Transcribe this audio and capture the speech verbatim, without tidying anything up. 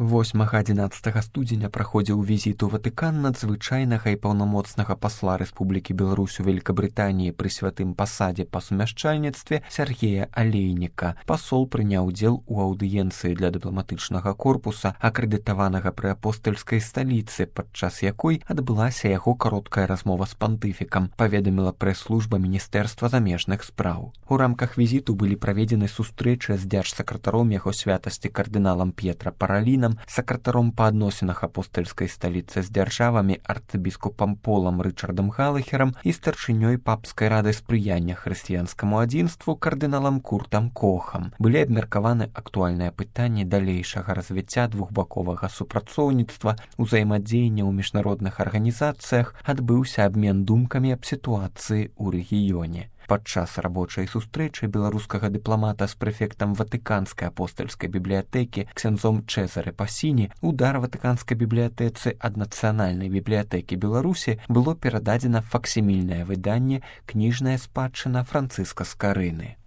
восьмага-адзінаццатага студзеня праходзіў візіт у Ватыкан надзвычайнага і паўнамоцнага пасла Рэспублікі Беларусь у Великабрытаніі пры святым пасадзе па сумяшчальніцтве Сергея Алейніка. Пасол прыняў удзел у аўдыенцыі для дыпламатычнага корпуса, акрэдытаванага пры апостальскай сталіцы, падчас якой адбылася яго кароткая размова з пантыфікам, паведаміла прэс-служба Міністэрства замежных спраў. У рамках візіту былі праведзены сустрэчы з дзяржсакратаром яго святасці кардыналам П'етра Паралінам, сакратаром па адносінах апостальскай сталіцы з дзяржавамі арцыбіскупам Полам Рычардам Галахерам і старшынёй папскай рады спрыяння хрысціянскаму адзінству кардыналам Куртам Кохам. Былі абмеркаваны актуальныя пытанні далейшага развіцця двухбаковага супрацоўніцтва, узаемадзеяння ў міжнародных арганізацыях, адбыўся абмен думкамі аб сітуацыі ў рэгіёне. Падчас рабочай сустрэчы беларускага дыпламата з прэфектам Ватыканскай апостальскай бібліятэкі ксяндзом Чэзаре Пасіні у дар Ватыканскай бібліятэцы ад Нацыянальнай бібліятэкі Беларусі было перададзена факсімільнае выданне «Кніжная спадчына Францыска Скарыны».